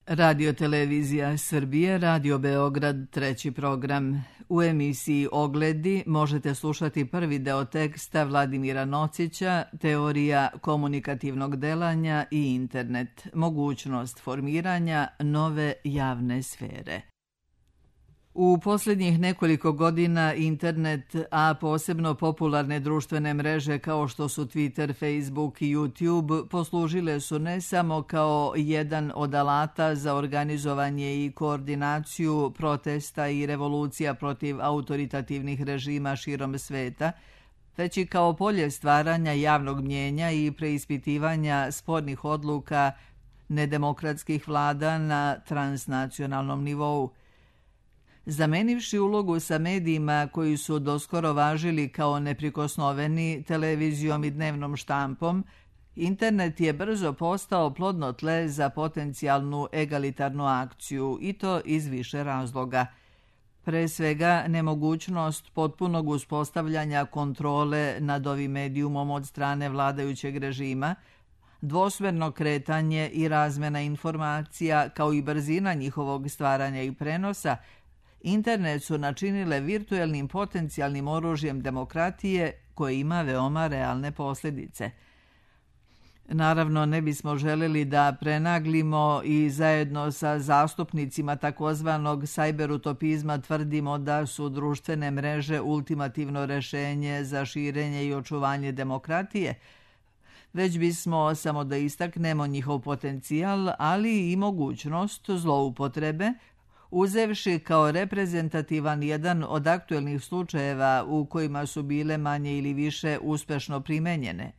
Radio Televizija Srbije, Radio Beograd, treći program. U emisiji Ogledi možete slušati prvi deo teksta Vladimira Nocića, Teorija komunikativnog delanja i internet, mogućnost formiranja nove javne sfere. U posljednjih nekoliko godina internet, a posebno popularne društvene mreže kao što su Twitter, Facebook i YouTube, poslužile su ne samo kao jedan od alata za organizovanje i koordinaciju protesta i revolucija protiv autoritativnih režima širom sveta, već i kao polje stvaranja javnog mnjenja i preispitivanja spornih odluka nedemokratskih vlada na transnacionalnom nivou. Zamenivši ulogu sa medijima koji su doskoro važili kao neprikosnoveni televizijom i dnevnom štampom, internet je brzo postao plodno tle za potencijalnu egalitarnu akciju, i to iz više razloga. Pre svega, nemogućnost potpunog uspostavljanja kontrole nad ovim medijumom od strane vladajućeg režima, dvosmerno kretanje i razmena informacija, kao i brzina njihovog stvaranja i prenosa, internet su načinile virtuelnim potencijalnim oružjem demokratije koje ima veoma realne posljedice. Naravno, ne bismo želeli da prenaglimo i zajedno sa zastupnicima takozvanog sajberutopizma tvrdimo da su društvene mreže ultimativno rešenje za širenje i očuvanje demokratije, već bismo samo da istaknemo njihov potencijal, ali i mogućnost zloupotrebe, uzevši kao reprezentativan jedan od aktuelnih slučajeva u kojima su bile manje ili više uspešno primenjene.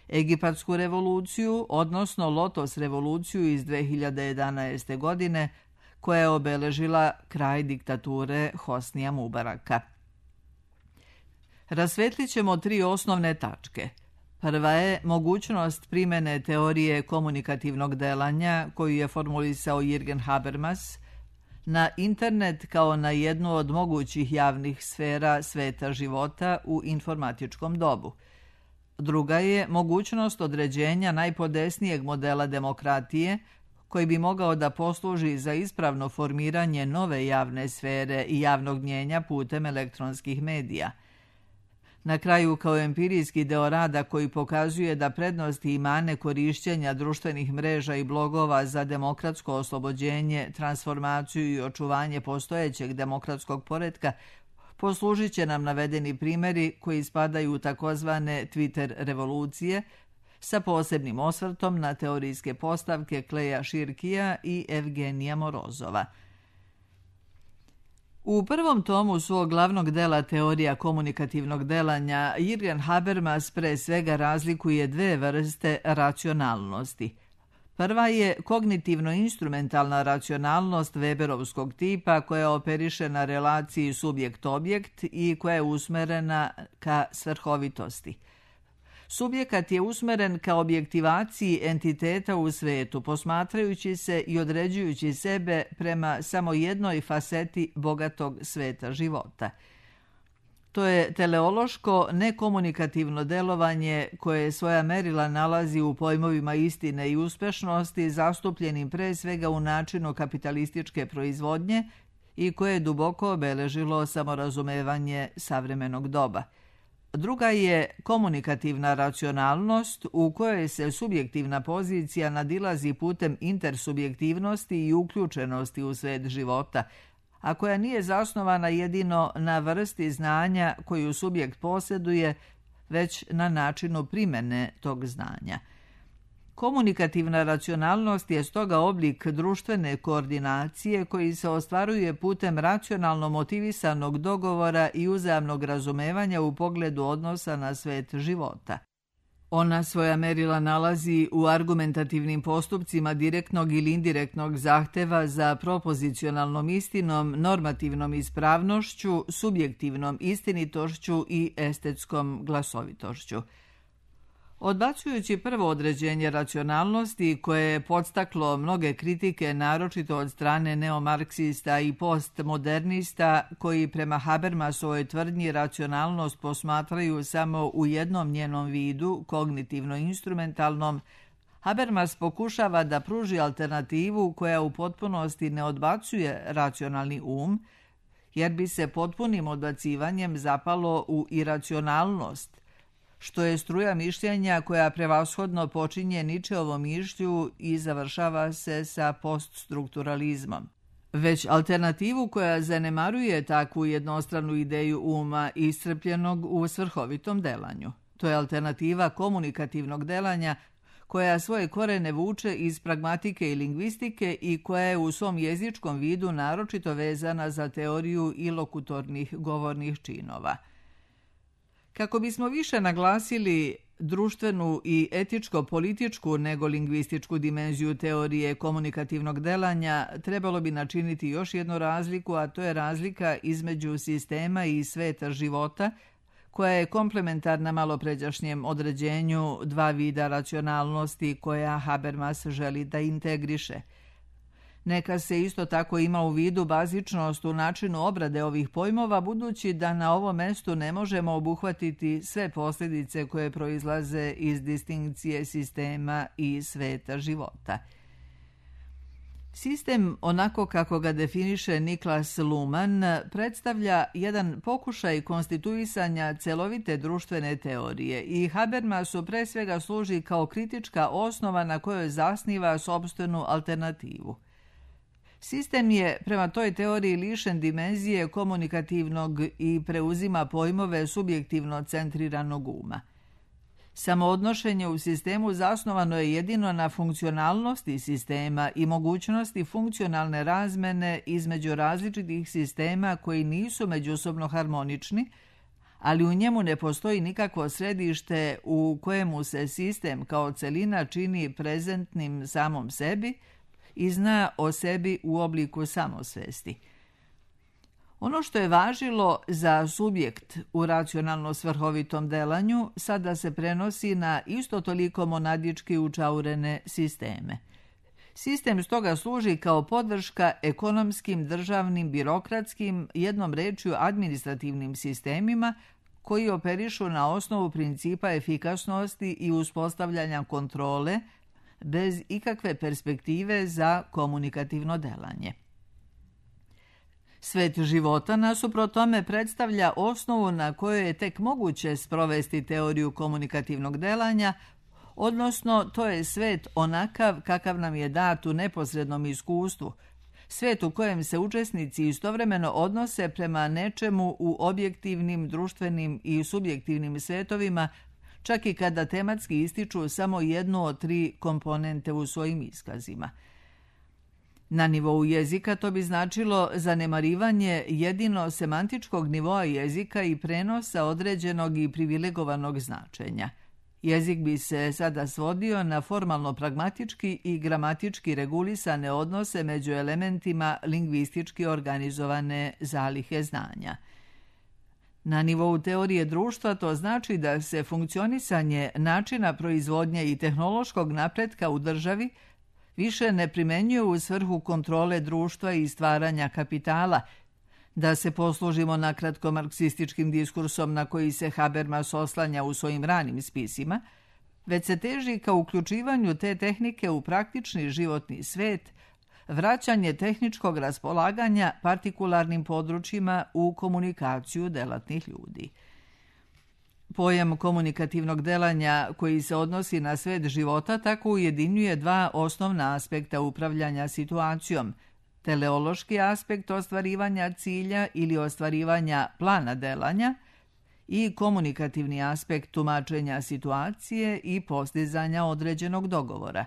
Egipatsku revoluciju, odnosno Lotos revoluciju iz 2011. godine, koja je obeležila kraj diktature Hosnija Mubaraka. Rasvetlit ćemo 3 osnovne tačke. Prva je mogućnost primene teorije komunikativnog delanja koju je formulisao Jürgen Habermas na internet kao na jednu od mogućih javnih sfera sveta života u informatičkom dobu. Druga je mogućnost određenja najpodesnijeg modela demokratije koji bi mogao da posluži za ispravno formiranje nove javne sfere i javnog mnjenja putem elektronskih medija. Na kraju, kao empirijski deo rada koji pokazuje da prednosti i mane korišćenja društvenih mreža i blogova za demokratsko oslobođenje, transformaciju i očuvanje postojećeg demokratskog poretka poslužit će nam navedeni primjeri koji spadaju u takozvane Twitter revolucije sa posebnim osvrtom na teorijske postavke Kleja Širkija i Evgenija Morozova. U prvom tomu svog glavnog dela Teorija komunikativnog delanja Jürgen Habermas pre svega razlikuje 2 vrste racionalnosti. Prva je kognitivno-instrumentalna racionalnost Weberovskog tipa koja operiše na relaciji subjekt-objekt i koja je usmerena ka svrhovitosti. Subjekat je usmeren ka objektivaciji entiteta u svetu, posmatrajući se i određujući sebe prema samo jednoj faseti bogatog sveta života. To je teleološko nekomunikativno delovanje koje svoja merila nalazi u pojmovima istine i uspešnosti, zastupljenim pre svega u načinu kapitalističke proizvodnje i koje je duboko obeležilo samorazumevanje savremenog doba. Druga je komunikativna racionalnost u kojoj se subjektivna pozicija nadilazi putem intersubjektivnosti i uključenosti u svet života, a koja nije zasnovana jedino na vrsti znanja koju subjekt posjeduje, već na načinu primene tog znanja. Komunikativna racionalnost je stoga oblik društvene koordinacije koji se ostvaruje putem racionalno motivisanog dogovora i uzajamnog razumevanja u pogledu odnosa na svet života. Ona svoja merila nalazi u argumentativnim postupcima direktnog ili indirektnog zahteva za propozicionalnom istinom, normativnom ispravnošću, subjektivnom istinitošću i estetskom glasovitošću. Odbacujući prvo određenje racionalnosti koje je podstaklo mnoge kritike naročito od strane neomarksista i postmodernista koji prema Habermasovoj tvrdnji racionalnost posmatraju samo u jednom njenom vidu, kognitivno-instrumentalnom, Habermas pokušava da pruži alternativu koja u potpunosti ne odbacuje racionalni um, jer bi se potpunim odbacivanjem zapalo u iracionalnost, što je struja mišljenja koja prevashodno počinje Ničeovom mišlju i završava se sa poststrukturalizmom. Već alternativu koja zanemaruje takvu jednostranu ideju uma iscrpljenog u svrhovitom delanju. To je alternativa komunikativnog delanja koja svoje korene vuče iz pragmatike i lingvistike i koja je u svom jezičkom vidu naročito vezana za teoriju ilokutornih govornih činova. Kako bismo više naglasili društvenu i etičko-političku nego lingvističku dimenziju teorije komunikativnog delanja, trebalo bi načiniti još jednu razliku, a to je razlika između sistema i sveta života, koja je komplementarna malopređašnjem određenju dva vida racionalnosti koja Habermas želi da integriše. Neka se isto tako ima u vidu bazičnost u načinu obrade ovih pojmova, budući da na ovom mestu ne možemo obuhvatiti sve posljedice koje proizlaze iz distinkcije sistema i sveta života. Sistem, onako kako ga definiše Niklas Luhmann, predstavlja jedan pokušaj konstituisanja celovite društvene teorije i Habermasu pre svega služi kao kritička osnova na kojoj zasniva sopstvenu alternativu. Sistem je prema toj teoriji lišen dimenzije komunikativnog i preuzima pojmove subjektivno centriranog uma. Samoodnošenje u sistemu zasnovano je jedino na funkcionalnosti sistema i mogućnosti funkcionalne razmene između različitih sistema koji nisu međusobno harmonični, ali u njemu ne postoji nikakvo središte u kojemu se sistem kao celina čini prezentnim samom sebi i zna o sebi u obliku samosvesti. Ono što je važilo za subjekt u racionalno svrhovitom delanju sada se prenosi na isto toliko monadički učaurene sisteme. Sistem stoga služi kao podrška ekonomskim, državnim, birokratskim, jednom rečju administrativnim sistemima koji operišu na osnovu principa efikasnosti i uspostavljanja kontrole bez ikakve perspektive za komunikativno delanje. Svet života nasuprot tome predstavlja osnovu na kojoj je tek moguće sprovesti teoriju komunikativnog delanja, odnosno to je svet onakav kakav nam je dat u neposrednom iskustvu, svet u kojem se učesnici istovremeno odnose prema nečemu u objektivnim, društvenim i subjektivnim svetovima, čak i kada tematski ističu samo jednu od tri komponente u svojim iskazima. Na nivou jezika to bi značilo zanemarivanje jedino semantičkog nivoa jezika i prenosa određenog i privilegovanog značenja. Jezik bi se sada svodio na formalno pragmatički i gramatički regulisane odnose među elementima lingvistički organizovane zalihe znanja. Na nivou teorije društva to znači da se funkcionisanje načina proizvodnje i tehnološkog napretka u državi više ne primenjuje u svrhu kontrole društva i stvaranja kapitala, da se poslužimo nakratko marksističkim diskursom na koji se Habermas oslanja u svojim ranim spisima, već se teži ka uključivanju te tehnike u praktični životni svet, vraćanje tehničkog raspolaganja partikularnim područjima u komunikaciju delatnih ljudi. Pojam komunikativnog delanja koji se odnosi na svet života tako ujedinjuje dva osnovna aspekta upravljanja situacijom, teleološki aspekt ostvarivanja cilja ili ostvarivanja plana delanja i komunikativni aspekt tumačenja situacije i postizanja određenog dogovora.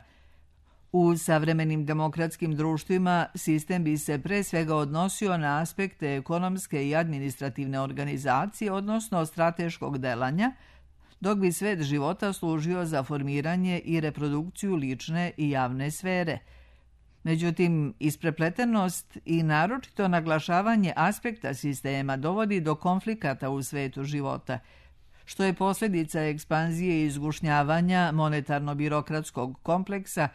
U savremenim demokratskim društvima sistem bi se pre svega odnosio na aspekte ekonomske i administrativne organizacije, odnosno strateškog delanja, dok bi svet života služio za formiranje i reprodukciju lične i javne sfere. Međutim, isprepletenost i naročito naglašavanje aspekta sistema dovodi do konflikata u svetu života, što je posljedica ekspanzije i izgušnjavanja monetarno-birokratskog kompleksa,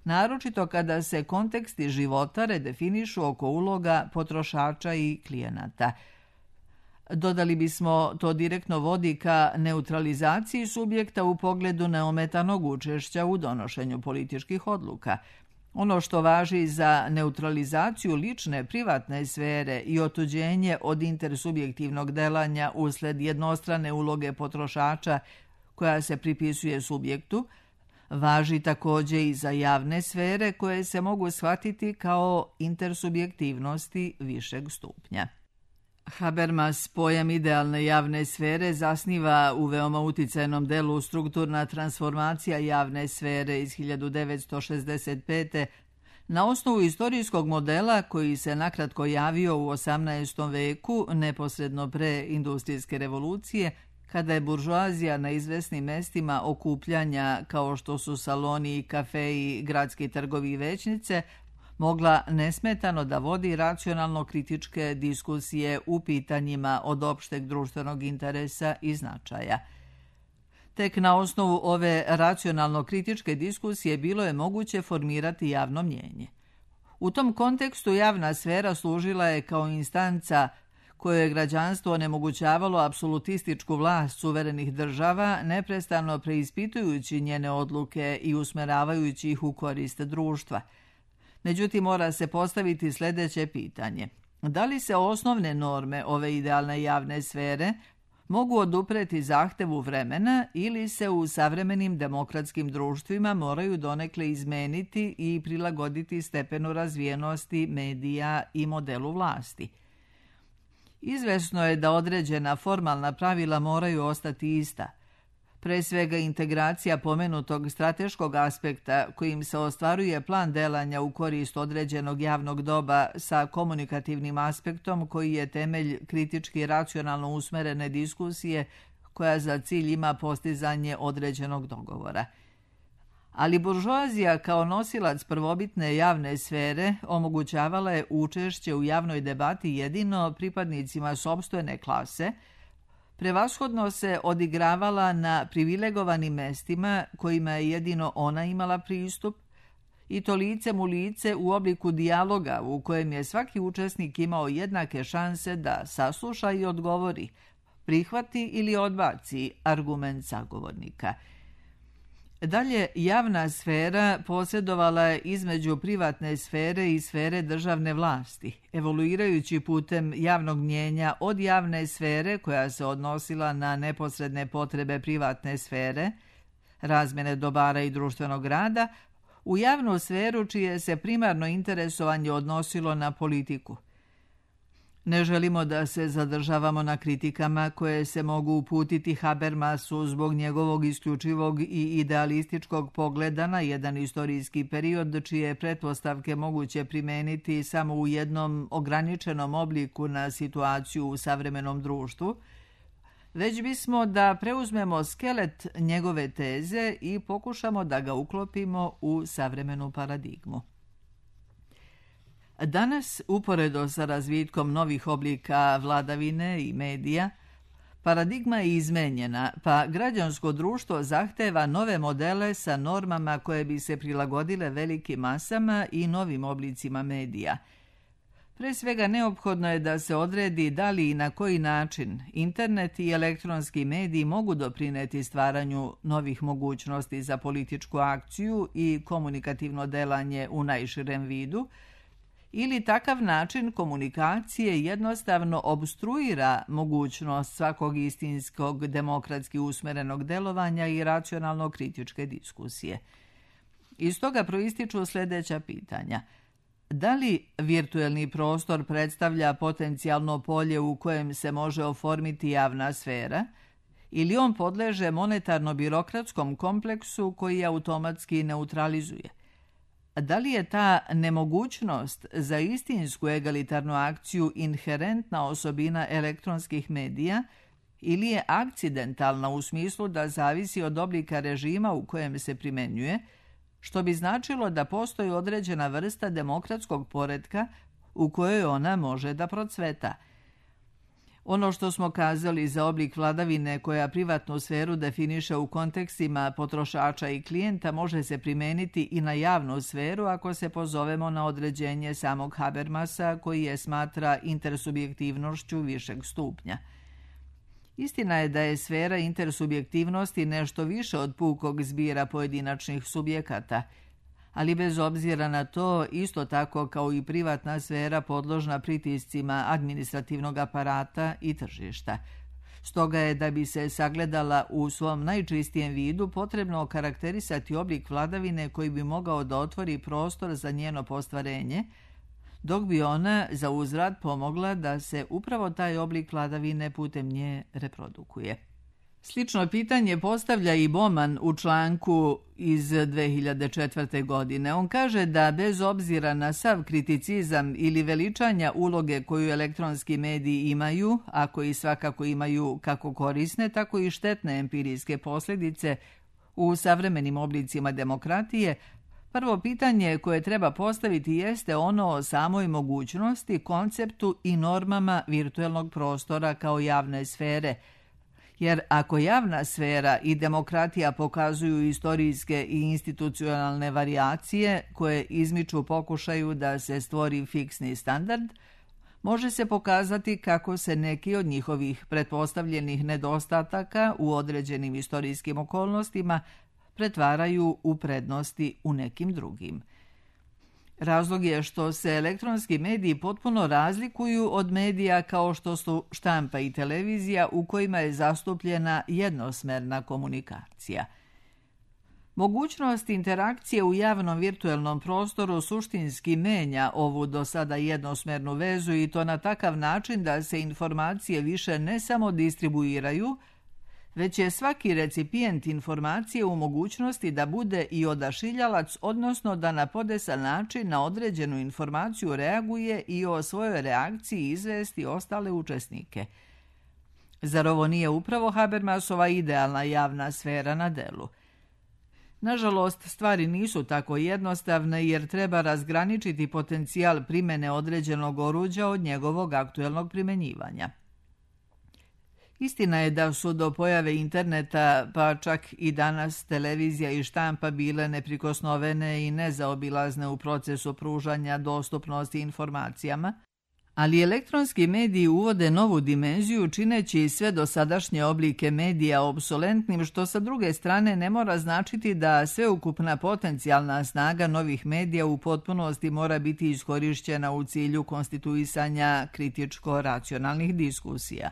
naročito kada se konteksti života redefinišu oko uloga potrošača i klijenata. Dodali bismo, to direktno vodi ka neutralizaciji subjekta u pogledu neometanog učešća u donošenju političkih odluka. Ono što važi za neutralizaciju lične privatne sfere i otuđenje od intersubjektivnog delanja usled jednostrane uloge potrošača koja se pripisuje subjektu, važi također i za javne sfere koje se mogu shvatiti kao intersubjektivnosti višeg stupnja. Habermas pojam idealne javne sfere zasniva u veoma uticajnom delu Strukturna transformacija javne sfere iz 1965. na osnovu istorijskog modela koji se nakratko javio u 18. veku, neposredno pre industrijske revolucije, kada je buržoazija na izvesnim mestima okupljanja kao što su saloni, kafeji, gradski trgovi i većnice, mogla nesmetano da vodi racionalno-kritičke diskusije u pitanjima od opšteg društvenog interesa i značaja. Tek na osnovu ove racionalno-kritičke diskusije bilo je moguće formirati javno mnjenje. U tom kontekstu javna sfera služila je kao instanca koje je građanstvo onemogućavalo apsolutističku vlast suverenih država, neprestano preispitujući njene odluke i usmeravajući ih u korist društva. Međutim, mora se postaviti sljedeće pitanje. Da li se osnovne norme ove idealne javne sfere mogu odupreti zahtevu vremena ili se u savremenim demokratskim društvima moraju donekle izmeniti i prilagoditi stepenu razvijenosti medija i modelu vlasti? Izvesno je da određena formalna pravila moraju ostati ista. Pre svega integracija pomenutog strateškog aspekta kojim se ostvaruje plan delanja u korist određenog javnog doba sa komunikativnim aspektom koji je temelj kritički racionalno usmerene diskusije koja za cilj ima postizanje određenog dogovora. Ali buržoazija kao nosilac prvobitne javne sfere omogućavala je učešće u javnoj debati jedino pripadnicima sopstvene klase, prevashodno se odigravala na privilegovanim mestima kojima je jedino ona imala pristup, i to licem u lice u obliku dijaloga u kojem je svaki učesnik imao jednake šanse da sasluša i odgovori, prihvati ili odbaci argument sagovornika. Dalje, javna sfera posjedovala je između privatne sfere i sfere državne vlasti, evoluirajući putem javnog mnjenja od javne sfere koja se odnosila na neposredne potrebe privatne sfere, razmjene dobara i društvenog rada, u javnu sferu čije se primarno interesovanje odnosilo na politiku. Ne želimo da se zadržavamo na kritikama koje se mogu uputiti Habermasu zbog njegovog isključivog i idealističkog pogleda na jedan istorijski period čije pretpostavke moguće primeniti samo u jednom ograničenom obliku na situaciju u savremenom društvu, već bismo da preuzmemo skelet njegove teze i pokušamo da ga uklopimo u savremenu paradigmu. Danas, uporedo sa razvitkom novih oblika vladavine i medija, paradigma je izmenjena, pa građansko društvo zahteva nove modele sa normama koje bi se prilagodile velikim masama i novim oblicima medija. Pre svega neophodno je da se odredi da li i na koji način internet i elektronski mediji mogu doprineti stvaranju novih mogućnosti za političku akciju i komunikativno delanje u najširem vidu, ili takav način komunikacije jednostavno obstruira mogućnost svakog istinskog demokratski usmerenog delovanja i racionalno kritičke diskusije. Iz toga proističu sljedeća pitanja. Da li virtuelni prostor predstavlja potencijalno polje u kojem se može oformiti javna sfera, ili on podleže monetarno-birokratskom kompleksu koji automatski neutralizuje? Da li je ta nemogućnost za istinsku egalitarnu akciju inherentna osobina elektronskih medija ili je akcidentalna u smislu da zavisi od oblika režima u kojem se primenjuje, što bi značilo da postoji određena vrsta demokratskog poretka u kojoj ona može da procveta? Ono što smo kazali za oblik vladavine koja privatnu sferu definiše u kontekstima potrošača i klijenta može se primeniti i na javnu sferu ako se pozovemo na određenje samog Habermasa koji je smatra intersubjektivnošću višeg stupnja. Istina je da je sfera intersubjektivnosti nešto više od pukog zbira pojedinačnih subjekata, ali bez obzira na to, isto tako kao i privatna sfera podložna pritiscima administrativnog aparata i tržišta. Stoga je, da bi se sagledala u svom najčistijem vidu, potrebno okarakterisati oblik vladavine koji bi mogao da otvori prostor za njeno postvarenje, dok bi ona za uzvrat pomogla da se upravo taj oblik vladavine putem nje reprodukuje. Slično pitanje postavlja i Bowman u članku iz 2004. godine. On kaže da bez obzira na sav kriticizam ili veličanja uloge koju elektronski mediji imaju, a koji svakako imaju kako korisne, tako i štetne empirijske posljedice u savremenim oblicima demokratije, prvo pitanje koje treba postaviti jeste ono o samoj mogućnosti, konceptu i normama virtuelnog prostora kao javne sfere. Jer ako javna sfera i demokratija pokazuju istorijske i institucionalne varijacije koje izmiču pokušaju da se stvori fiksni standard, može se pokazati kako se neki od njihovih pretpostavljenih nedostataka u određenim istorijskim okolnostima pretvaraju u prednosti u nekim drugim. Razlog je što se elektronski mediji potpuno razlikuju od medija kao što su štampa i televizija u kojima je zastupljena jednosmerna komunikacija. Mogućnost interakcije u javnom virtuelnom prostoru suštinski menja ovu do sada jednosmernu vezu i to na takav način da se informacije više ne samo distribuiraju, već je svaki recipijent informacije u mogućnosti da bude i odašiljalac, odnosno da na podesan način na određenu informaciju reaguje i o svojoj reakciji izvesti ostale učesnike. Zar ovo nije upravo Habermasova idealna javna sfera na delu? Nažalost, stvari nisu tako jednostavne jer treba razgraničiti potencijal primjene određenog oruđa od njegovog aktuelnog primenjivanja. Istina je da su do pojave interneta, pa čak i danas, televizija i štampa bile neprikosnovene i nezaobilazne u procesu pružanja dostupnosti informacijama, ali elektronski mediji uvode novu dimenziju čineći sve dosadašnje oblike medija obsolentnim, što sa druge strane ne mora značiti da sveukupna potencijalna snaga novih medija u potpunosti mora biti iskorišćena u cilju konstituisanja kritičko-racionalnih diskusija.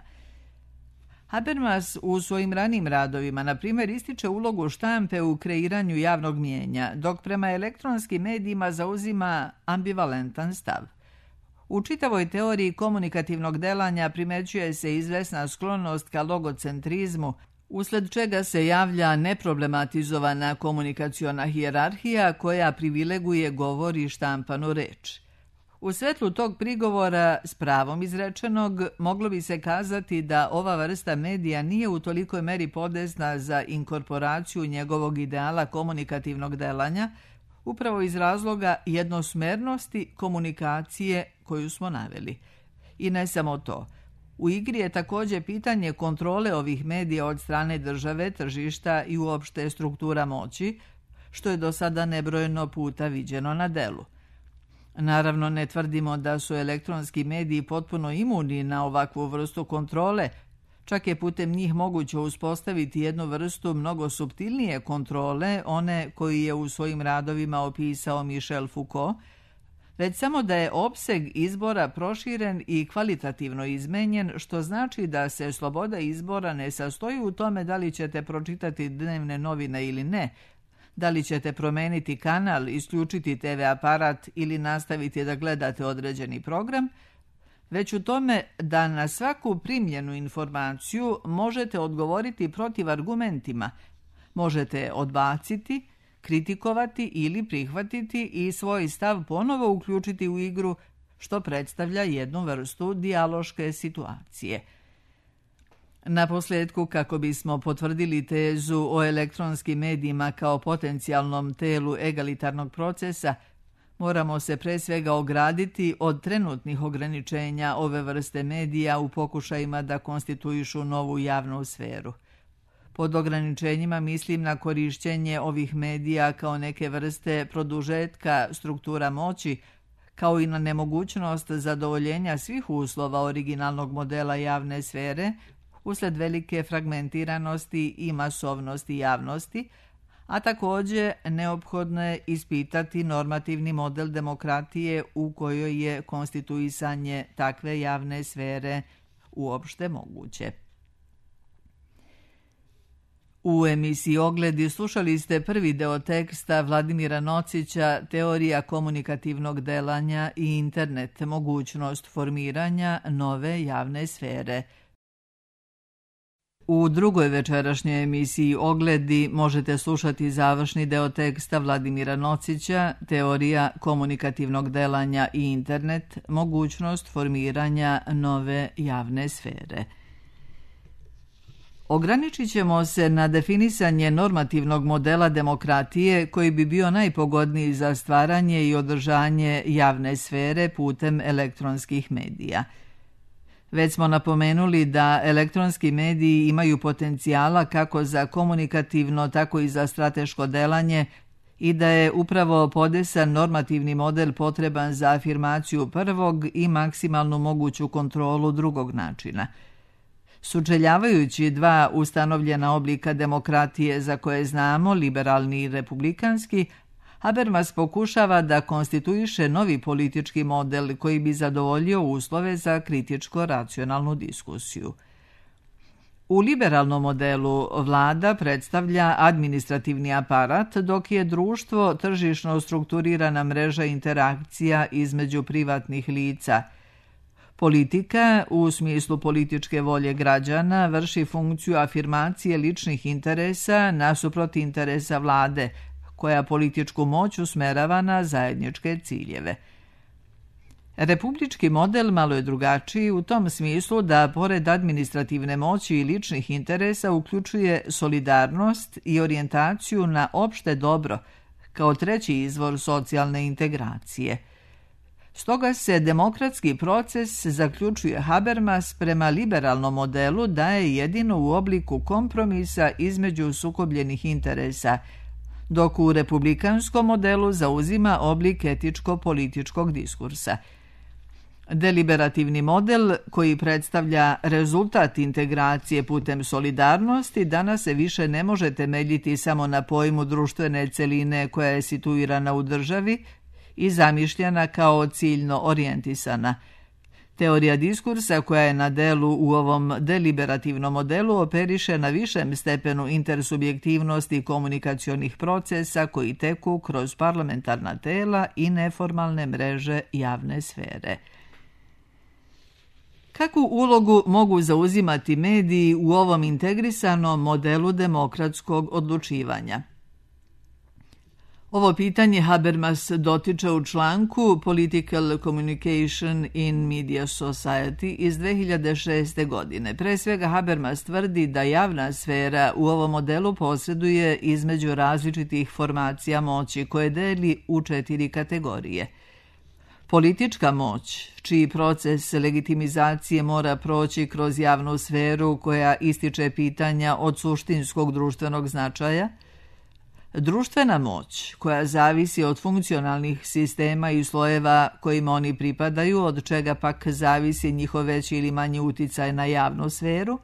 Habermas u svojim ranim radovima, na primjer, ističe ulogu štampe u kreiranju javnog mnijenja, dok prema elektronskim medijima zauzima ambivalentan stav. U čitavoj teoriji komunikativnog delanja primećuje se izvesna sklonost ka logocentrizmu, usled čega se javlja neproblematizovana komunikaciona hijerarhija koja privileguje govor i štampanu reč. U svetlu tog prigovora, s pravom izrečenog, moglo bi se kazati da ova vrsta medija nije u tolikoj meri podesna za inkorporaciju njegovog ideala komunikativnog delanja, upravo iz razloga jednosmernosti komunikacije koju smo naveli. I ne samo to. U igri je također pitanje kontrole ovih medija od strane države, tržišta i uopšte struktura moći, što je do sada nebrojeno puta viđeno na delu. Naravno, ne tvrdimo da su elektronski mediji potpuno imuni na ovakvu vrstu kontrole, čak je putem njih moguće uspostaviti jednu vrstu mnogo suptilnije kontrole, one koji je u svojim radovima opisao Michel Foucault, već samo da je opseg izbora proširen i kvalitativno izmenjen, što znači da se sloboda izbora ne sastoji u tome da li ćete pročitati dnevne novine ili ne, da li ćete promeniti kanal, isključiti TV aparat ili nastaviti da gledate određeni program, već u tome da na svaku primljenu informaciju možete odgovoriti protiv argumentima, možete odbaciti, kritikovati ili prihvatiti i svoj stav ponovo uključiti u igru, što predstavlja jednu vrstu dijaloške situacije. Naposljetku, kako bismo potvrdili tezu o elektronskim medijima kao potencijalnom telu egalitarnog procesa, moramo se pre svega ograditi od trenutnih ograničenja ove vrste medija u pokušajima da konstituišu novu javnu sferu. Pod ograničenjima mislim na korišćenje ovih medija kao neke vrste produžetka struktura moći, kao i na nemogućnost zadovoljenja svih uslova originalnog modela javne sfere, usled velike fragmentiranosti i masovnosti javnosti, a također neophodno je ispitati normativni model demokratije u kojoj je konstituisanje takve javne sfere uopšte moguće. U emisiji Ogledi slušali ste prvi deo teksta Vladimira Nocića Teorija komunikativnog delanja i internet, mogućnost formiranja nove javne sfere. U drugoj večerašnjoj emisiji Ogledi možete slušati završni deo teksta Vladimira Nocića Teorija komunikativnog delanja i internet, mogućnost formiranja nove javne sfere. Ograničit ćemo se na definisanje normativnog modela demokratije koji bi bio najpogodniji za stvaranje i održanje javne sfere putem elektronskih medija. Već smo napomenuli da elektronski mediji imaju potencijala kako za komunikativno, tako i za strateško delanje i da je upravo podesan normativni model potreban za afirmaciju prvog i maksimalnu moguću kontrolu drugog načina. Sučeljavajući dva ustanovljena oblika demokratije za koje znamo, liberalni i republikanski, Habermas pokušava da konstituiše novi politički model koji bi zadovoljio uslove za kritičko-racionalnu diskusiju. U liberalnom modelu vlada predstavlja administrativni aparat, dok je društvo tržišno strukturirana mreža interakcija između privatnih lica. Politika, u smislu političke volje građana, vrši funkciju afirmacije ličnih interesa nasuprot interesa vlade, koja političku moć usmerava na zajedničke ciljeve. Republički model malo je drugačiji u tom smislu da, pored administrativne moći i ličnih interesa, uključuje solidarnost i orijentaciju na opšte dobro, kao treći izvor socijalne integracije. Stoga se demokratski proces, zaključuje Habermas, prema liberalnom modelu daje jedino u obliku kompromisa između sukobljenih interesa, dok u republikanskom modelu zauzima oblik etičko-političkog diskursa. Deliberativni model, koji predstavlja rezultat integracije putem solidarnosti, danas se više ne može temeljiti samo na pojmu društvene celine koja je situirana u državi i zamišljena kao ciljno orijentisana. Teorija diskursa koja je na delu u ovom deliberativnom modelu operiše na višem stepenu intersubjektivnosti komunikacionih procesa koji teku kroz parlamentarna tela i neformalne mreže javne sfere. Kakvu ulogu mogu zauzimati mediji u ovom integrisanom modelu demokratskog odlučivanja? Ovo pitanje Habermas dotiče u članku Political Communication in Media Society iz 2006. godine. Pre svega Habermas tvrdi da javna sfera u ovom modelu posreduje između različitih formacija moći koje deli u 4 kategorije. Politička moć, čiji proces legitimizacije mora proći kroz javnu sferu koja ističe pitanja od suštinskog društvenog značaja, društvena moć, koja zavisi od funkcionalnih sistema i slojeva kojima oni pripadaju, od čega pak zavisi njihov veći ili manji uticaj na javnu sferu,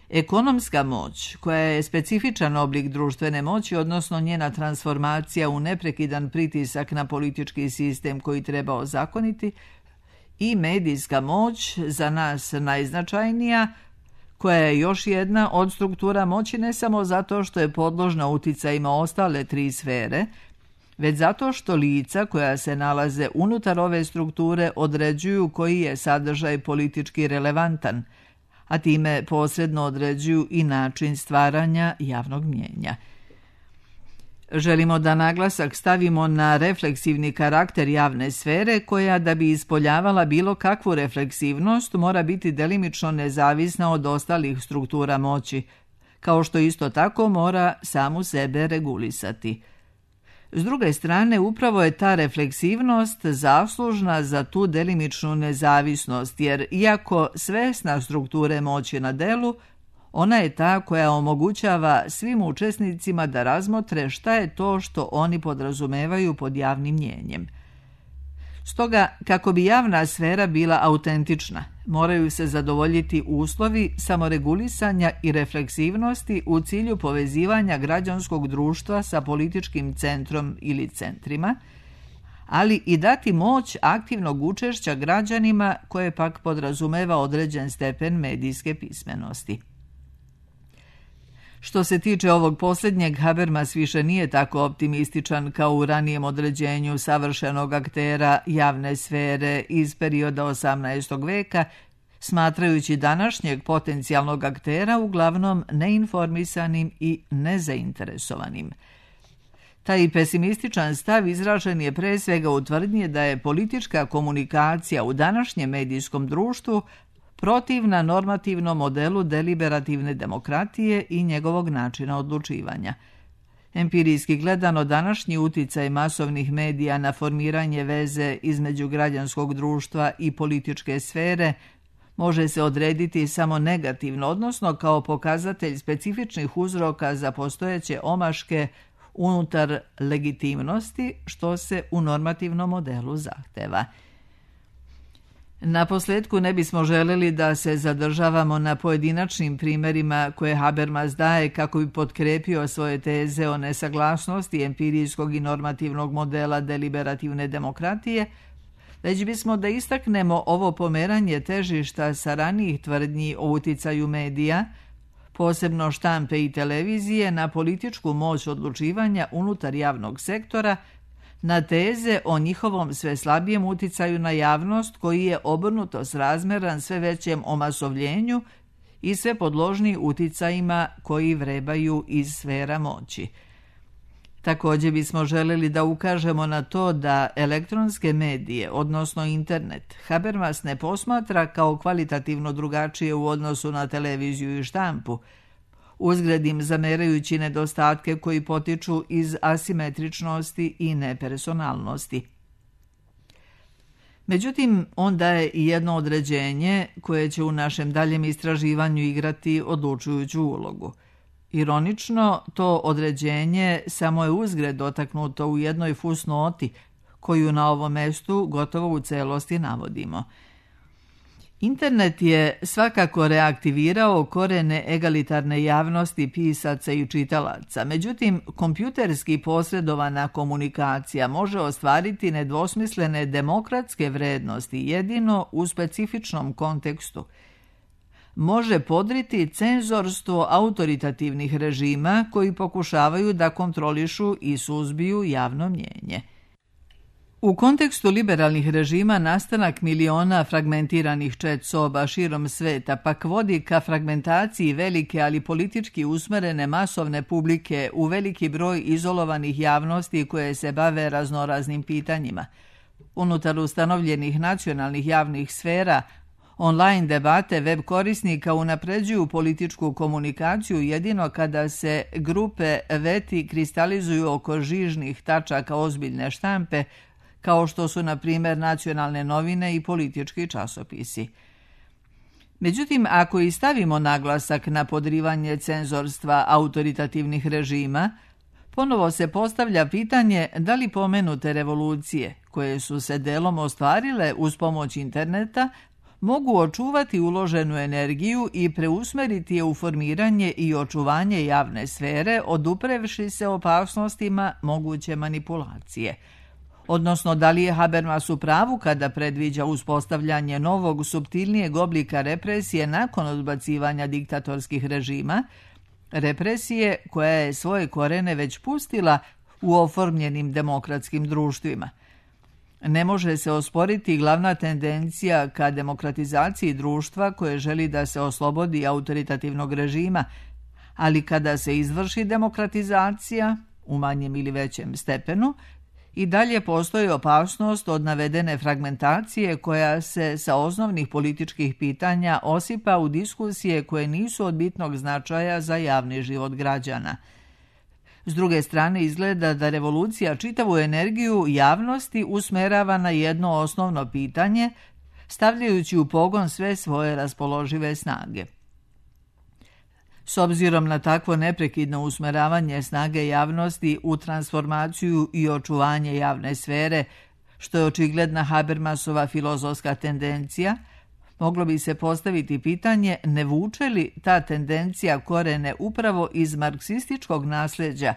ekonomska moć, koja je specifičan oblik društvene moći, odnosno njena transformacija u neprekidan pritisak na politički sistem koji treba ozakoniti, i medijska moć, za nas najznačajnija, koja je još jedna od struktura moći ne samo zato što je podložna uticajima ostale 3 sfere, već zato što lica koja se nalaze unutar ove strukture određuju koji je sadržaj politički relevantan, a time posredno određuju i način stvaranja javnog mnijenja. Želimo da naglasak stavimo na refleksivni karakter javne sfere koja, da bi ispoljavala bilo kakvu refleksivnost, mora biti delimično nezavisna od ostalih struktura moći, kao što isto tako mora samu sebe regulisati. S druge strane, upravo je ta refleksivnost zaslužna za tu delimičnu nezavisnost, jer iako svesna strukture moći na delu, ona je ta koja omogućava svim učesnicima da razmotre šta je to što oni podrazumevaju pod javnim mnijenjem. Stoga, kako bi javna sfera bila autentična, moraju se zadovoljiti uslovi samoregulisanja i refleksivnosti u cilju povezivanja građanskog društva sa političkim centrom ili centrima, ali i dati moć aktivnog učešća građanima koje pak podrazumeva određen stepen medijske pismenosti. Što se tiče ovog posljednjeg, Habermas više nije tako optimističan kao u ranijem određenju savršenog aktera javne sfere iz perioda 18. veka, smatrajući današnjeg potencijalnog aktera uglavnom neinformisanim i nezainteresovanim. Taj pesimističan stav izražen je pre svega u tvrdnji da je politička komunikacija u današnjem medijskom društvu protivna normativnom modelu deliberativne demokratije i njegovog načina odlučivanja. Empirijski gledano, današnji uticaj masovnih medija na formiranje veze između građanskog društva i političke sfere može se odrediti samo negativno, odnosno kao pokazatelj specifičnih uzroka za postojeće omaške unutar legitimnosti, što se u normativnom modelu zahteva. Naposljetku ne bismo željeli da se zadržavamo na pojedinačnim primjerima koje Habermas daje kako bi potkrepio svoje teze o nesaglasnosti empirijskog i normativnog modela deliberativne demokratije, već bismo da istaknemo ovo pomeranje težišta sa ranijih tvrdnji o uticaju medija, posebno štampe i televizije, na političku moć odlučivanja unutar javnog sektora, na teze o njihovom sve slabijem uticaju na javnost koji je obrnuto srazmeran sve većem omasovljenju i sve podložniji uticajima koji vrebaju iz sfera moći. Također bismo željeli da ukažemo na to da elektronske medije, odnosno internet, Habermas ne posmatra kao kvalitativno drugačije u odnosu na televiziju i štampu, uzgred im zamerajući nedostatke koji potiču iz asimetričnosti i nepersonalnosti. Međutim, on daje i jedno određenje koje će u našem daljem istraživanju igrati odlučujuću ulogu. Ironično, to određenje samo je uzgred dotaknuto u jednoj fusnoti, koju na ovom mestu gotovo u celosti navodimo. Internet je svakako reaktivirao korene egalitarne javnosti pisaca i čitalaca, međutim, kompjuterski posredovana komunikacija može ostvariti nedvosmislene demokratske vrednosti jedino u specifičnom kontekstu. Može podriti cenzorstvo autoritativnih režima koji pokušavaju da kontrolišu i suzbiju javno mnjenje. U kontekstu liberalnih režima nastanak miliona fragmentiranih chat soba širom sveta pak vodi ka fragmentaciji velike, ali politički usmerene masovne publike u veliki broj izolovanih javnosti koje se bave raznoraznim pitanjima. Unutar ustanovljenih nacionalnih javnih sfera, online debate web korisnika unapređuju političku komunikaciju jedino kada se grupe veti kristalizuju oko žižnih tačaka ozbiljne štampe, kao što su, na primjer, nacionalne novine i politički časopisi. Međutim, ako i stavimo naglasak na podrivanje cenzorstva autoritativnih režima, ponovo se postavlja pitanje da li pomenute revolucije, koje su se delom ostvarile uz pomoć interneta, mogu očuvati uloženu energiju i preusmeriti je u formiranje i očuvanje javne sfere, oduprevši se opasnostima moguće manipulacije. Odnosno, da li je Habermas u pravu kada predviđa uspostavljanje novog, suptilnijeg oblika represije nakon odbacivanja diktatorskih režima, represije koja je svoje korene već pustila u oformljenim demokratskim društvima. Ne može se osporiti glavna tendencija ka demokratizaciji društva koje želi da se oslobodi autoritativnog režima, ali kada se izvrši demokratizacija, u manjem ili većem stepenu, i dalje postoji opasnost od navedene fragmentacije koja se sa osnovnih političkih pitanja osipa u diskusije koje nisu od bitnog značaja za javni život građana. S druge strane, izgleda da revolucija čitavu energiju javnosti usmerava na jedno osnovno pitanje, stavljajući u pogon sve svoje raspoložive snage. S obzirom na takvo neprekidno usmeravanje snage javnosti u transformaciju i očuvanje javne sfere, što je očigledna Habermasova filozofska tendencija, moglo bi se postaviti pitanje ne vuče li ta tendencija korene upravo iz marksističkog nasljeđa,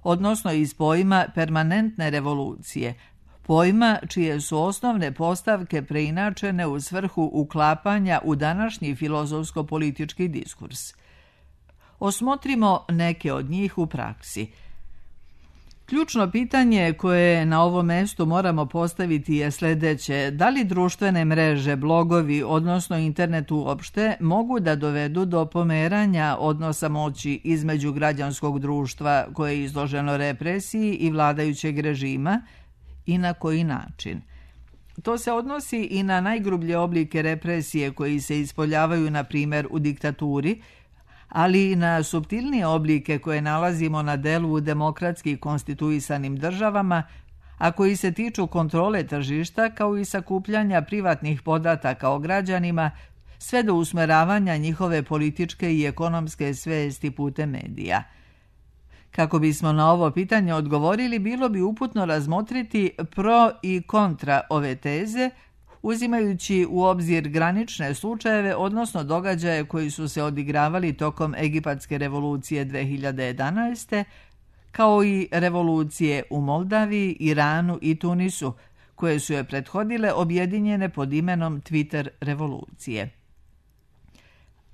odnosno iz pojma permanentne revolucije, pojma čije su osnovne postavke preinačene u svrhu uklapanja u današnji filozofsko-politički diskurs. Osmotrimo neke od njih u praksi. Ključno pitanje koje na ovom mjestu moramo postaviti je sljedeće: da li društvene mreže, blogovi, odnosno internet uopšte, mogu da dovedu do pomeranja odnosa moći između građanskog društva koje je izloženo represiji i vladajućeg režima i na koji način? To se odnosi i na najgrublje oblike represije koji se ispoljavaju, na primjer, u diktaturi, ali i na suptilnije oblike koje nalazimo na delu u demokratski konstituisanim državama, a koji se tiču kontrole tržišta kao i sakupljanja privatnih podataka o građanima, sve do usmeravanja njihove političke i ekonomske svesti putem medija. Kako bismo na ovo pitanje odgovorili, bilo bi uputno razmotriti pro i kontra ove teze, uzimajući u obzir granične slučajeve, odnosno događaje koji su se odigravali tokom Egipatske revolucije 2011. kao i revolucije u Moldaviji, Iranu i Tunisu, koje su je prethodile objedinjene pod imenom Twitter revolucije.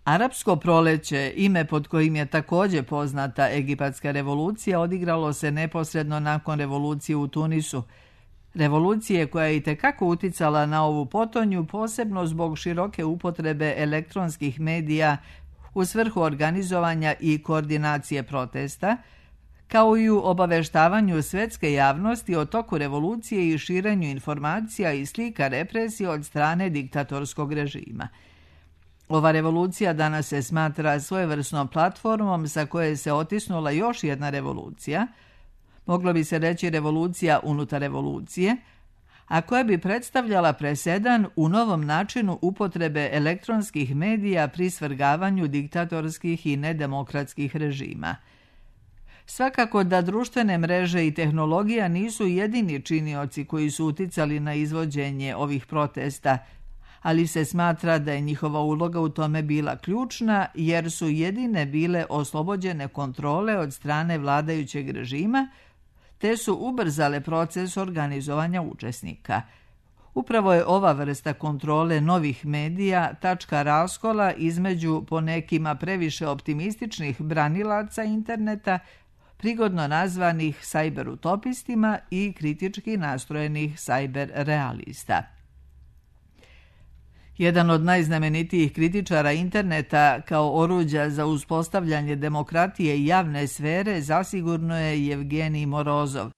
Arapsko proleće, ime pod kojim je također poznata Egipatska revolucija, odigralo se neposredno nakon revolucije u Tunisu, revolucije koja je itekako uticala na ovu potonju, posebno zbog široke upotrebe elektronskih medija u svrhu organizovanja i koordinacije protesta, kao i u obaveštavanju svjetske javnosti o toku revolucije i širenju informacija i slika represije od strane diktatorskog režima. Ova revolucija danas se smatra svojevrsnom platformom sa koje se otisnula još jedna revolucija, moglo bi se reći revolucija unutar revolucije, a koja bi predstavljala presedan u novom načinu upotrebe elektronskih medija pri svrgavanju diktatorskih i nedemokratskih režima. Svakako da društvene mreže i tehnologija nisu jedini činioci koji su uticali na izvođenje ovih protesta, ali se smatra da je njihova uloga u tome bila ključna jer su jedine bile oslobođene kontrole od strane vladajućeg režima, te su ubrzale proces organizovanja učesnika. Upravo je ova vrsta kontrole novih medija tačka raskola između po nekima previše optimističnih branilaca interneta, prigodno nazvanih sajberutopistima, i kritički nastrojenih sajberrealista. Jedan od najznamenitijih kritičara interneta kao oruđa za uspostavljanje demokratije i javne sfere zasigurno je Jevgenij Morozov.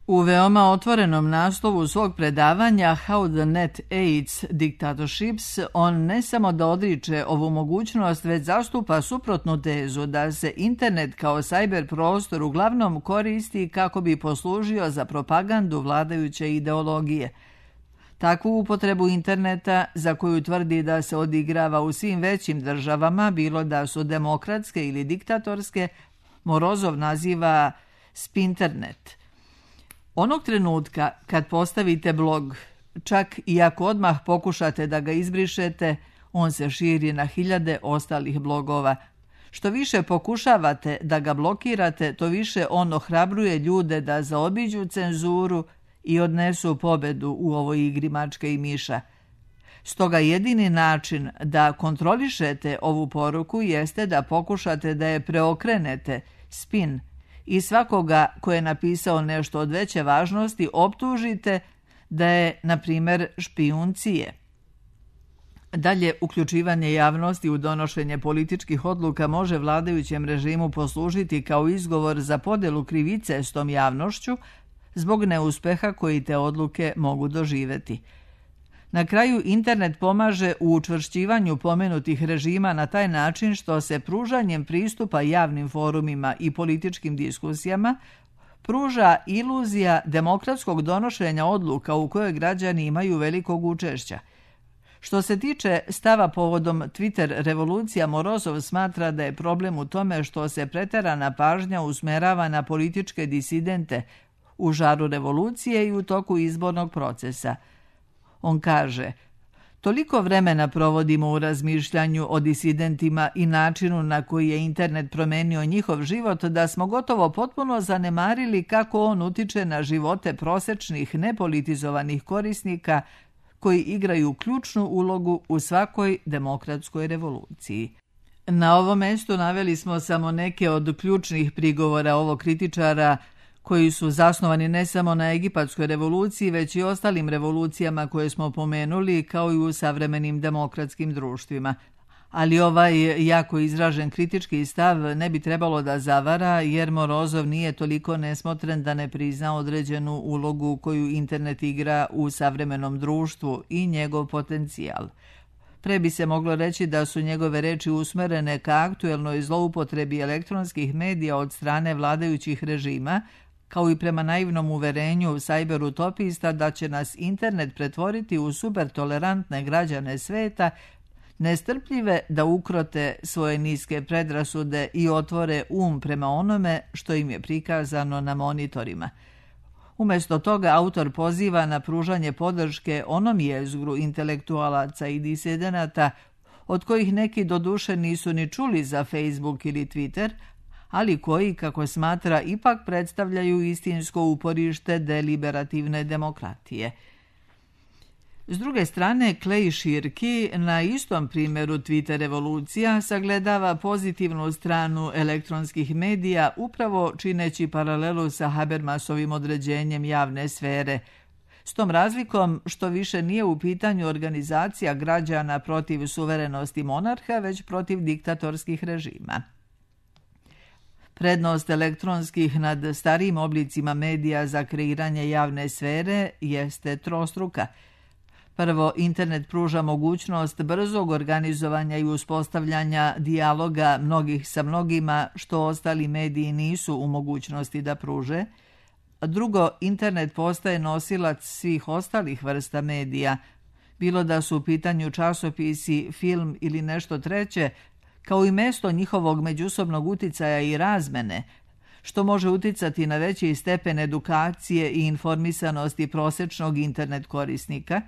U veoma otvorenom naslovu svog predavanja How the Net Aids Dictatorships on ne samo da odriče ovu mogućnost, već zastupa suprotnu tezu da se internet kao sajber prostor uglavnom koristi kako bi poslužio za propagandu vladajuće ideologije. Takvu upotrebu interneta, za koju tvrdi da se odigrava u svim većim državama, bilo da su demokratske ili diktatorske, Morozov naziva spinternet. Onog trenutka kad postavite blog, čak i ako odmah pokušate da ga izbrišete, on se širi na hiljade ostalih blogova. Što više pokušavate da ga blokirate, to više on ohrabruje ljude da zaobiđu cenzuru i odnesu pobedu u ovoj igri mačke i miša. Stoga jedini način da kontrolišete ovu poruku jeste da pokušate da je preokrenete, spin, i svakoga ko je napisao nešto od veće važnosti optužite da je, na primjer, špijun CIA. Dalje, uključivanje javnosti u donošenje političkih odluka može vladajućem režimu poslužiti kao izgovor za podelu krivice s tom javnošću zbog neuspeha koji te odluke mogu doživjeti. Na kraju, internet pomaže u učvršćivanju pomenutih režima na taj način što se pružanjem pristupa javnim forumima i političkim diskusijama pruža iluzija demokratskog donošenja odluka u kojoj građani imaju velikog učešća. Što se tiče stava povodom Twitter revolucija, Morozov smatra da je problem u tome što se preterana pažnja usmerava na političke disidente, u žaru revolucije i u toku izbornog procesa. On kaže: toliko vremena provodimo u razmišljanju o disidentima i načinu na koji je internet promenio njihov život da smo gotovo potpuno zanemarili kako on utiče na živote prosečnih nepolitizovanih korisnika koji igraju ključnu ulogu u svakoj demokratskoj revoluciji. Na ovom mestu naveli smo samo neke od ključnih prigovora ovog kritičara koji su zasnovani ne samo na egipatskoj revoluciji, već i ostalim revolucijama koje smo pomenuli, kao i u savremenim demokratskim društvima. Ali ovaj jako izražen kritički stav ne bi trebalo da zavara, jer Morozov nije toliko nesmotren da ne prizna određenu ulogu koju internet igra u savremenom društvu i njegov potencijal. Pre bi se moglo reći da su njegove reči usmerene ka aktuelnoj zloupotrebi elektronskih medija od strane vladajućih režima, kao i prema naivnom uverenju cyberutopista da će nas internet pretvoriti u supertolerantne građane sveta, nestrpljive da ukrote svoje niske predrasude i otvore prema onome što im je prikazano na monitorima. Umjesto toga autor poziva na pružanje podrške onom jezgru intelektualaca i disidenata od kojih neki doduše nisu ni čuli za Facebook ili Twitter, ali koji, kako smatra, ipak predstavljaju istinsko uporište deliberativne demokratije. S druge strane, Clay Shirky na istom primjeru Twitter revolucija sagledava pozitivnu stranu elektronskih medija, upravo čineći paralelu sa Habermasovim određenjem javne sfere, s tom razlikom što više nije u pitanju organizacija građana protiv suverenosti monarha, već protiv diktatorskih režima. Prednost elektronskih nad starijim oblicima medija za kreiranje javne sfere jeste trostruka. Prvo, internet pruža mogućnost brzog organizovanja i uspostavljanja dijaloga mnogih sa mnogima, što ostali mediji nisu u mogućnosti da pruže. Drugo, internet postaje nosilac svih ostalih vrsta medija, bilo da su u pitanju časopisi, film ili nešto treće, kao i mesto njihovog međusobnog uticaja i razmene, što može uticati na veći stepen edukacije i informisanosti prosečnog internet korisnika.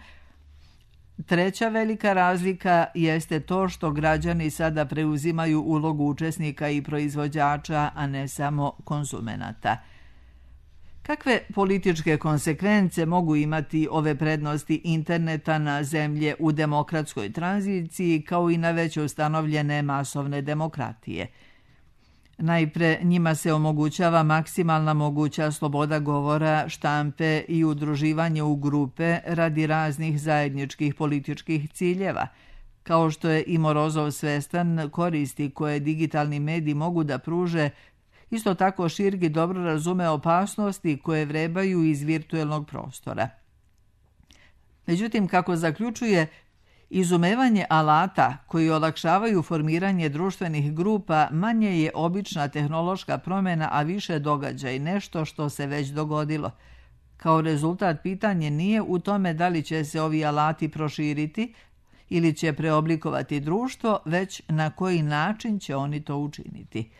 Treća velika razlika jeste to što građani sada preuzimaju ulogu učesnika i proizvođača, a ne samo konzumenata. Kakve političke konsekvence mogu imati ove prednosti interneta na zemlje u demokratskoj tranziciji, kao i na već ustanovljene masovne demokratije? Najpre, njima se omogućava maksimalna moguća sloboda govora, štampe i udruživanje u grupe radi raznih zajedničkih političkih ciljeva. Kao što je i Morozov svestan koristi koje digitalni mediji mogu da pruže, isto tako Shirky dobro razume opasnosti koje vrebaju iz virtuelnog prostora. Međutim, kako zaključuje, izumevanje alata koji olakšavaju formiranje društvenih grupa manje je obična tehnološka promjena, a više događaj, nešto što se već dogodilo. Kao rezultat, pitanje nije u tome da li će se ovi alati proširiti ili će preoblikovati društvo, već na koji način će oni to učiniti.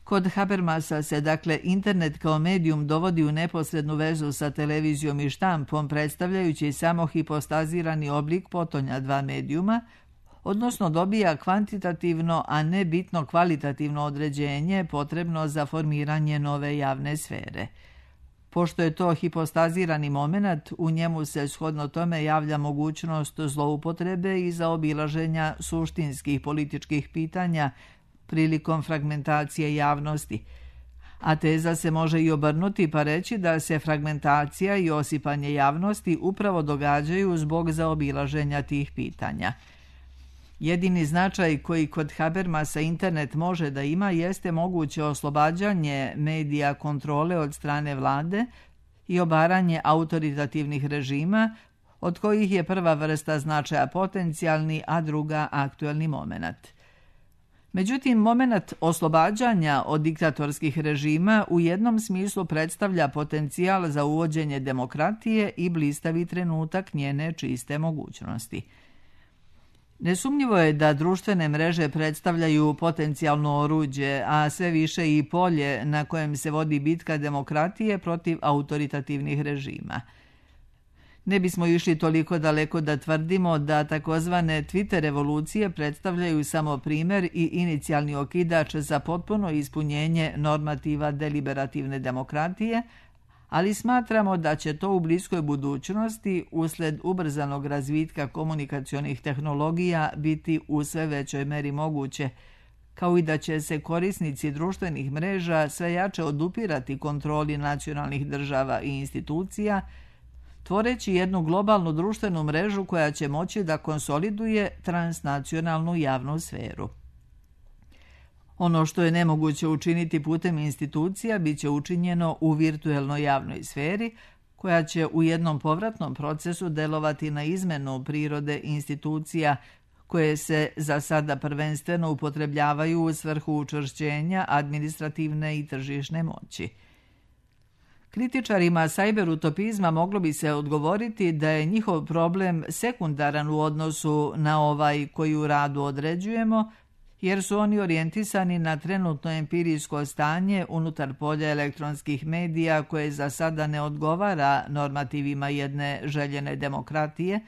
Kod Habermasa se, dakle, internet kao medijum dovodi u neposrednu vezu sa televizijom i štampom, predstavljajući samo hipostazirani oblik potonja dva medijuma, odnosno dobija kvantitativno, a ne bitno kvalitativno određenje potrebno za formiranje nove javne sfere. Pošto je to hipostazirani moment, u njemu se shodno tome javlja mogućnost zloupotrebe i zaobilaženja suštinskih političkih pitanja prilikom fragmentacije javnosti. A teza se može i obrnuti pa reći da se fragmentacija i osipanje javnosti upravo događaju zbog zaobilaženja tih pitanja. Jedini značaj koji kod Habermasa internet može da ima jeste moguće oslobađanje medija kontrole od strane vlade i obaranje autoritativnih režima, od kojih je prva vrsta značaja potencijalni, a druga aktuelni moment. Međutim, moment oslobađanja od diktatorskih režima u jednom smislu predstavlja potencijal za uvođenje demokratije i blistavi trenutak njene čiste mogućnosti. Nesumnjivo je da društvene mreže predstavljaju potencijalno oruđe, a sve više i polje na kojem se vodi bitka demokratije protiv autoritativnih režima. Ne bismo išli toliko daleko da tvrdimo da takozvane Twitter revolucije predstavljaju samo primer i inicijalni okidač za potpuno ispunjenje normativa deliberativne demokratije, ali smatramo da će to u bliskoj budućnosti, usled ubrzanog razvitka komunikacionih tehnologija, biti u sve većoj meri moguće, kao i da će se korisnici društvenih mreža sve jače odupirati kontroli nacionalnih država i institucija, tvoreći jednu globalnu društvenu mrežu koja će moći da konsoliduje transnacionalnu javnu sferu. Ono što je nemoguće učiniti putem institucija bit će učinjeno u virtuelnoj javnoj sferi, koja će u jednom povratnom procesu delovati na izmenu prirode institucija koje se za sada prvenstveno upotrebljavaju u svrhu učvršćenja administrativne i tržišne moći. Kritičarima sajberutopizma moglo bi se odgovoriti da je njihov problem sekundaran u odnosu na ovaj koji u radu određujemo, jer su oni orijentisani na trenutno empirijsko stanje unutar polja elektronskih medija koje za sada ne odgovara normativima jedne željene demokratije,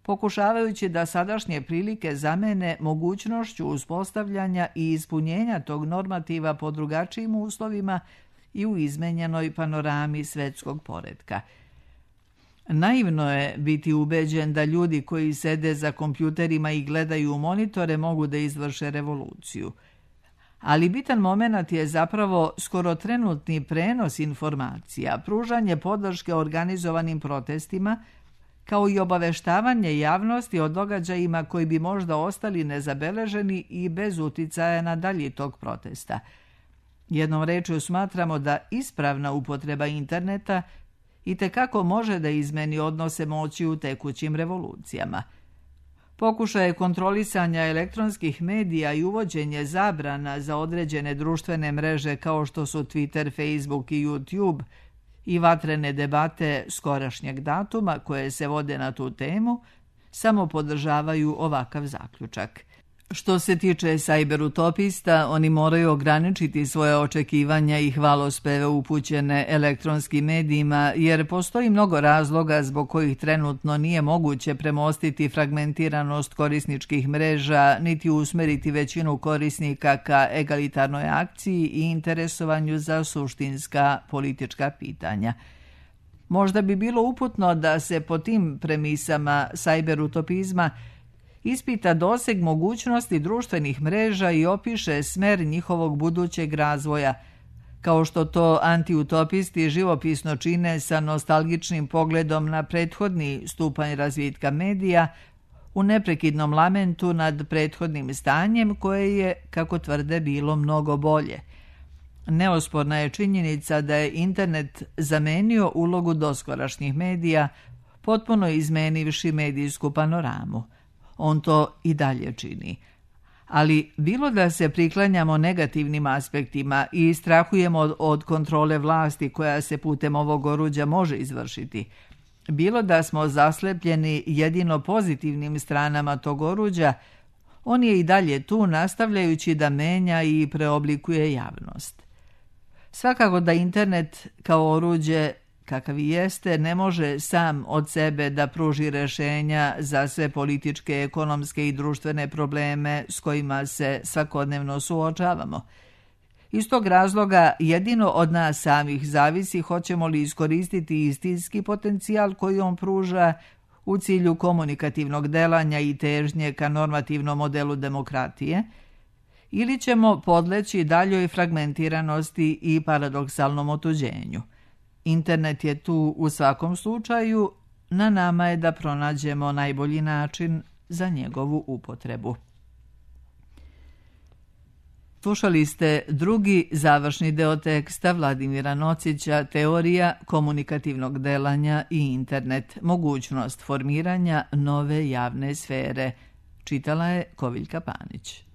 pokušavajući da sadašnje prilike zamene mogućnošću uspostavljanja i ispunjenja tog normativa po drugačijim uslovima i u izmenjenoj panorami svetskog poretka. Naivno je biti ubeđen da ljudi koji sede za kompjuterima i gledaju u monitore mogu da izvrše revoluciju. Ali bitan moment je zapravo skoro trenutni prenos informacija, pružanje podrške organizovanim protestima, kao i obaveštavanje javnosti o događajima koji bi možda ostali nezabeleženi i bez uticaja na dalji tok protesta. Jednom rečju smatramo da ispravna upotreba interneta itekako može da izmeni odnose moći u tekućim revolucijama. Pokušaje kontrolisanja elektronskih medija i uvođenje zabrana za određene društvene mreže kao što su Twitter, Facebook i YouTube i vatrene debate skorašnjeg datuma koje se vode na tu temu samo podržavaju ovakav zaključak. Što se tiče sajberutopista, oni moraju ograničiti svoje očekivanja i hvalospeve upućene elektronskim medijima, jer postoji mnogo razloga zbog kojih trenutno nije moguće premostiti fragmentiranost korisničkih mreža, niti usmeriti većinu korisnika ka egalitarnoj akciji i interesovanju za suštinska politička pitanja. Možda bi bilo uputno da se po tim premisama sajberutopizma ispita doseg mogućnosti društvenih mreža i opiše smer njihovog budućeg razvoja, kao što to antiutopisti živopisno čine sa nostalgičnim pogledom na prethodni stupanj razvitka medija, u neprekidnom lamentu nad prethodnim stanjem koje je, kako tvrde, bilo mnogo bolje. Neosporna je činjenica da je internet zamenio ulogu doskorašnjih medija, potpuno izmenivši medijsku panoramu. On to i dalje čini. Ali bilo da se priklanjamo negativnim aspektima i strahujemo od kontrole vlasti koja se putem ovog oruđa može izvršiti, bilo da smo zaslepljeni jedino pozitivnim stranama tog oruđa, on je i dalje tu nastavljajući da menja i preoblikuje javnost. Svakako da internet kao oruđe kakav i jeste, ne može sam od sebe da pruži rešenja za sve političke, ekonomske i društvene probleme s kojima se svakodnevno suočavamo. Iz tog razloga jedino od nas samih zavisi hoćemo li iskoristiti istinski potencijal koji on pruža u cilju komunikativnog delanja i težnje ka normativnom modelu demokratije, ili ćemo podleći daljoj fragmentiranosti i paradoksalnom otuđenju. Internet je tu u svakom slučaju, na nama je da pronađemo najbolji način za njegovu upotrebu. Slušali ste drugi završni deo teksta Vladimira Nocića Teorija komunikativnog delanja i internet, mogućnost formiranja nove javne sfere. Čitala je Koviljka Panić.